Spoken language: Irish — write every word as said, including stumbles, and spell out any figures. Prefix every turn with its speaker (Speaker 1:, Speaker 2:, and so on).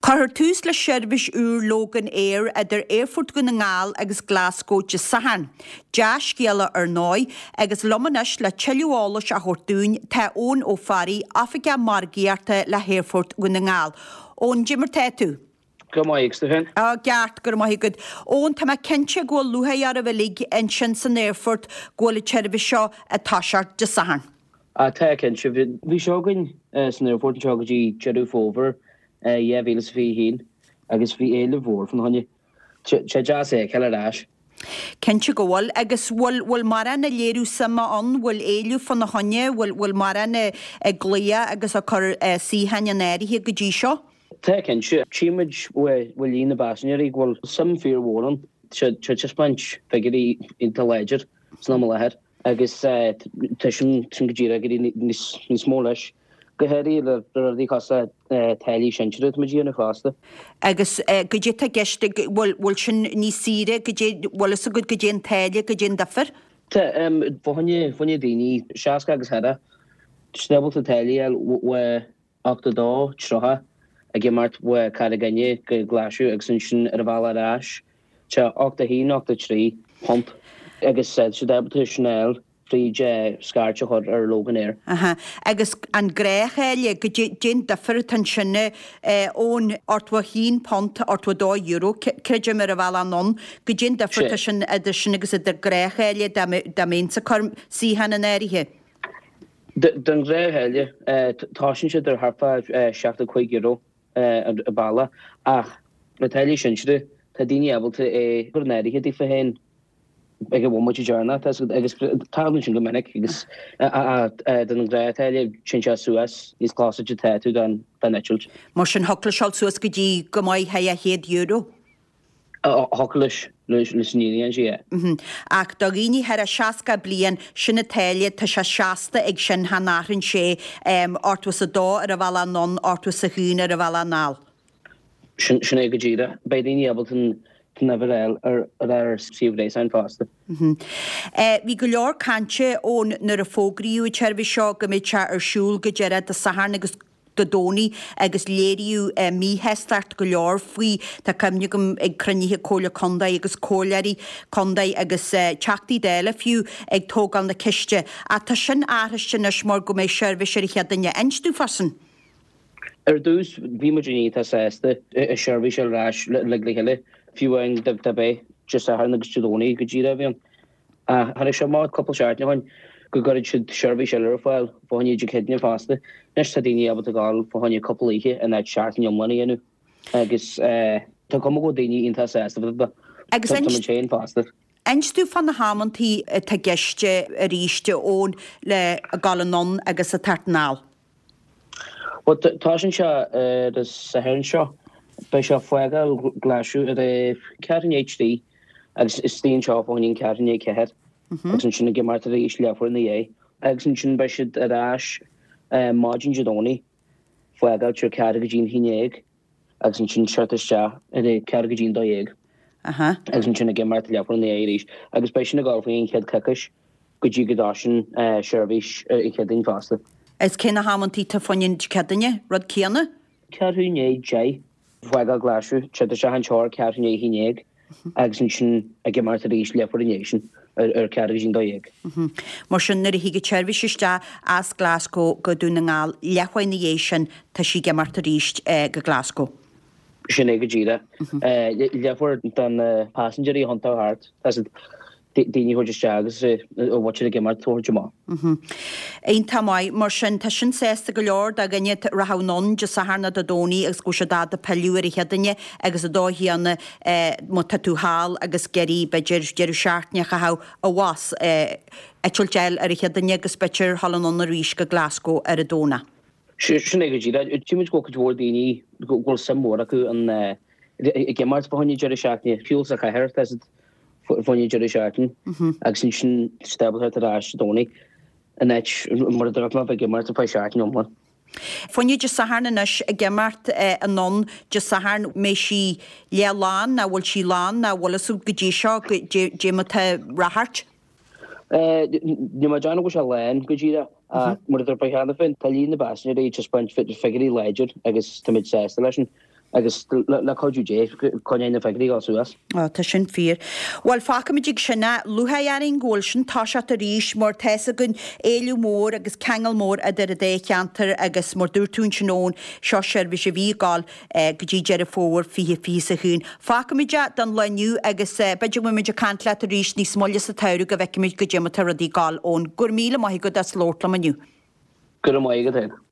Speaker 1: Cuirfear tús le seirbhís úr Loganair idir Aerfort Dhún na nGall agus Glasgow Dé Sathairn. Dea-scéala ar ndóigh, agus liom anois le tuilleadh eolais a thabhairt dúinn tá Eoin Ó Fearraigh, Oifigeach Margaíochta le hAerfort Dhún na nGall. Eoin, cad é mar tá tú.
Speaker 2: Go maith agus tú féin?
Speaker 1: Á ceart go maith agat. Eoin tá mé cinnte go bhfuil lúcháir oraibh uilig ansin san aerfort go bhfuil an tseirbhís seo ag toiseacht Dé Sathairn.
Speaker 2: Á tá cinnte bhí seo againn san aerfort anseo go dtí Deireadh Fómhair dhá mhíle is fiche haon agus bhí éileamh mhór fána choinne. Sé deas é feiceáil ar ais.
Speaker 1: Cinnte go bhfuil agus bhfuil bhfuil mórán ag léiriú suime ann, bhfuil éileamh fána choinne, bhfuil bhfuil mórán ag glaoch agus ag cur suíocháin in áirithe go dtí seo.
Speaker 2: Tá cinnte tchímid bhfuil líon na bpaisinéirí go bhfuil suim fíormhór ann sé taispeáint figiúirí iontach láidir san am i láthair agus tá sin sin go díreach ag éirí níos níos mó leis. Go háirithe le rudaí cosúil le táillí sinsearach atá muid a dhéanamh fosta.
Speaker 1: Agus goidé tá i gceist bhfuil bhfuil sin níos saoire goidé bhfuil fhios agat goidé an táille goidé an difear.
Speaker 2: Tá fá choinne fá choinne daoine seasca agus thart, tá ábalta táillí a fháil ochtó dó tríocha ag imeacht ó Carraig Fhinne go Glaschú agus ansin ar an bhealach ar ais tá ochtó haon ochtó trí punt agus tá siad ábalta sin a fháil fríd scairt a chur ar Loganair.
Speaker 1: Aha. Agus an gnáththáille goidé an difear atá ansin ón ochtó haon punt ochtó dó euro creidim ar an bhealach anonn goidé an difear atá sin idir sin agus idir gnáththáille dá mbeinnse ag cur suíochán in áirithe.
Speaker 2: Don ghnáththáille tosaíonn siad ar thart fá seachtó cúig euro an bealach ach na táillí sinsearach tá daoine ábalta é chur in áirithe daofa féin ag an bhomaite deireanach agus tarlaíonn sin go minic agus don ghnáth-tháille téann sé suas níos closaide tá tú don eitilt.
Speaker 1: Mar sin thiocfadh leis dul suas go dtí go maith thar chéad euro.
Speaker 2: Thiocfadh leis leis an fhírinne sé.
Speaker 1: Ach do dhaoine thar a seasca bliain sin an táille tá sé seasta ag sin chan athraíonn sé ochtó is a dó ar an bhealach anonn ochtó is a haon ar an bhealach anall.
Speaker 2: Sin sin é go díreach. Beidh daoine ábalta an uimhir a fháil ar ar ar suíomh gréasáin fosta.
Speaker 1: Bhí go leor cainte ón nuair a fógraíodh an tseirbhís seo go mbeidh sé ar siúl go deireadh Dé Sathairn agus Dé Domhnaigh agus léiríodh míshástacht go leor faoi tá cuimhne agam ag cruinnithe Comhairle Contae agus comhairleoirí contae agus teachtaí Dála fiú ag tógáil na ceiste. Ach tá sin athraithe anois mar go mbeidh seirbhís ar an Chéadaoine. Inis domh fá sin.
Speaker 2: Ar dtús bhí muid iontach sásta i seirbhís ar ais le le chéile fiú amháin dá b'é Dé Sathairn agus Dé Domhnaigh go díreach a bhí ann. Ach tháinig sé amach cúpla seachtain ó shin go gcuirfidh siad seirbhís eile ar fáil fá choinne Dé Céadaoine fosta. Anois tá daoine ábalta gabháil fá choinne cúpla oíche in áit seachtain iomlán a dhéanamh agus tá cuma go bhfuil daoine iontach sásta fá dtaobh de.
Speaker 1: Agus
Speaker 2: Tá muid féin fosta.
Speaker 1: Inis domh fá na hamantaí atá i gceist arís Eoin le gabháil anonn agus ag teacht anall.
Speaker 2: Well tosaíonn sé ar an Satharn seo. Beidh sé ag fágáil Glaschú ar a ceathrú i ndiaidh a trí agus istigh anseo fá choinne an ceathrú i ndiaidh a ceathair agus ansin ag imeacht arís leathuair ina dhiaidh agus ansin beidh siad ar ais maidin Dé Domhnaigh fágáil ar ceathrú go dtí an haon déag agus ansin teacht isteach ar a ceathrú go dtí an dó dhéag agus ansin ag imeacht leathuair ina dhiaidh arís agus beidh sin ag dul faoin chéad coicís go dtí go dtosaíonn seirbhís ar an Chéadaoin fosta.
Speaker 1: Is cé na hamantaí atá fá choinne Dé Céadaoine, rud céanna?
Speaker 2: Ceathrú i ndiaidh deich. Fágáil Glaschú, teacht isteach anseo ar ceathrú i ndiaidh a haon déag agus ansin ag imeacht arís leathuair ina dhiaidh sin ar ceathrú go dtí an dó dhéag.
Speaker 1: Mar sin nuair a thig an tseirbhís isteach as Glasgow go Dún na nGall leathuair ina dhiaidh sin tá sí ag imeacht arís go Glasgow.
Speaker 2: Sin é go díreach. Leathuair do na paisinéirí a thiontú thart. Tá siad daoine a thabhairt isteach agus a bhfuil ag imeacht a thabhairt amach.
Speaker 1: Iontach maith. Mar sin, tá sin sásta go leor do dhuine a rachadh anonn Dé Sathairn nó Dé Domhnaigh agus go bhfuil siad ábalta pilleadh ar an Chéadaoine agus an dóigh chéanna má tá tú thall agus ag iarraidh b'fhéidir deireadh seachtaine a chaitheamh abhus, eitilt a fháil ar an Chéadaoine agus b'fhéidir dhul anonn arís go Glasgow ar an Domhnach.
Speaker 2: Sin é go díreach. Tchímid go bhfuil cuid mhór daoine go bhfuil suim mhór acu in ag imeacht fá choinne deireadh seachtaine, fiú sa chathair, tá siad fá choinne deireadh seachtaine agus ansin stábáilte ar ais Dé Domhnaigh in áit mar a dúirt mé bheith ag imeacht ar feadh seachtain iomlán.
Speaker 1: Fá choinne Dé Sathairn anois ag imeacht anonn Dé Sathairn mbeidh sí leath lán ná bhfuil sí lán ná bhfuil fhios agat go dtí seo goidé mar tá ráchairt?
Speaker 2: Níl mé ag déanamh go bhfuil sé lán go díreach ach mar a dúirt mé cheana féin tá líon na bpaisinéirí ag taispeáint figiúirí láidir agus táimid sásta leis sin. Agus le cuidiú Dé, coinneoidh na figiúirí ag dul suas.
Speaker 1: Á, tá sin fíor. Bhuel, fágfaimid ag sin é. Lúcháir orainn go bhfuil sin toiseacht arís mar tá 'fhios againn éileamh mór agus ceangal mór idir an dá cheantar agus mar dúirt tú ansin Eoin, seo seirbhís a bhí ag dul go dtí Deireadh Fómhair fiche fiche is a haon. Fágfaimid é don lá inniu agus b'fhéidir go mbeimid ag caint leat arís níos moille sa tsamhradh go bhfeicfimid goidé mar tá rudaí ag dul, Eoin. Go raibh míle maith agat as labhairt liom inniu.
Speaker 2: Go raibh maith agat féin.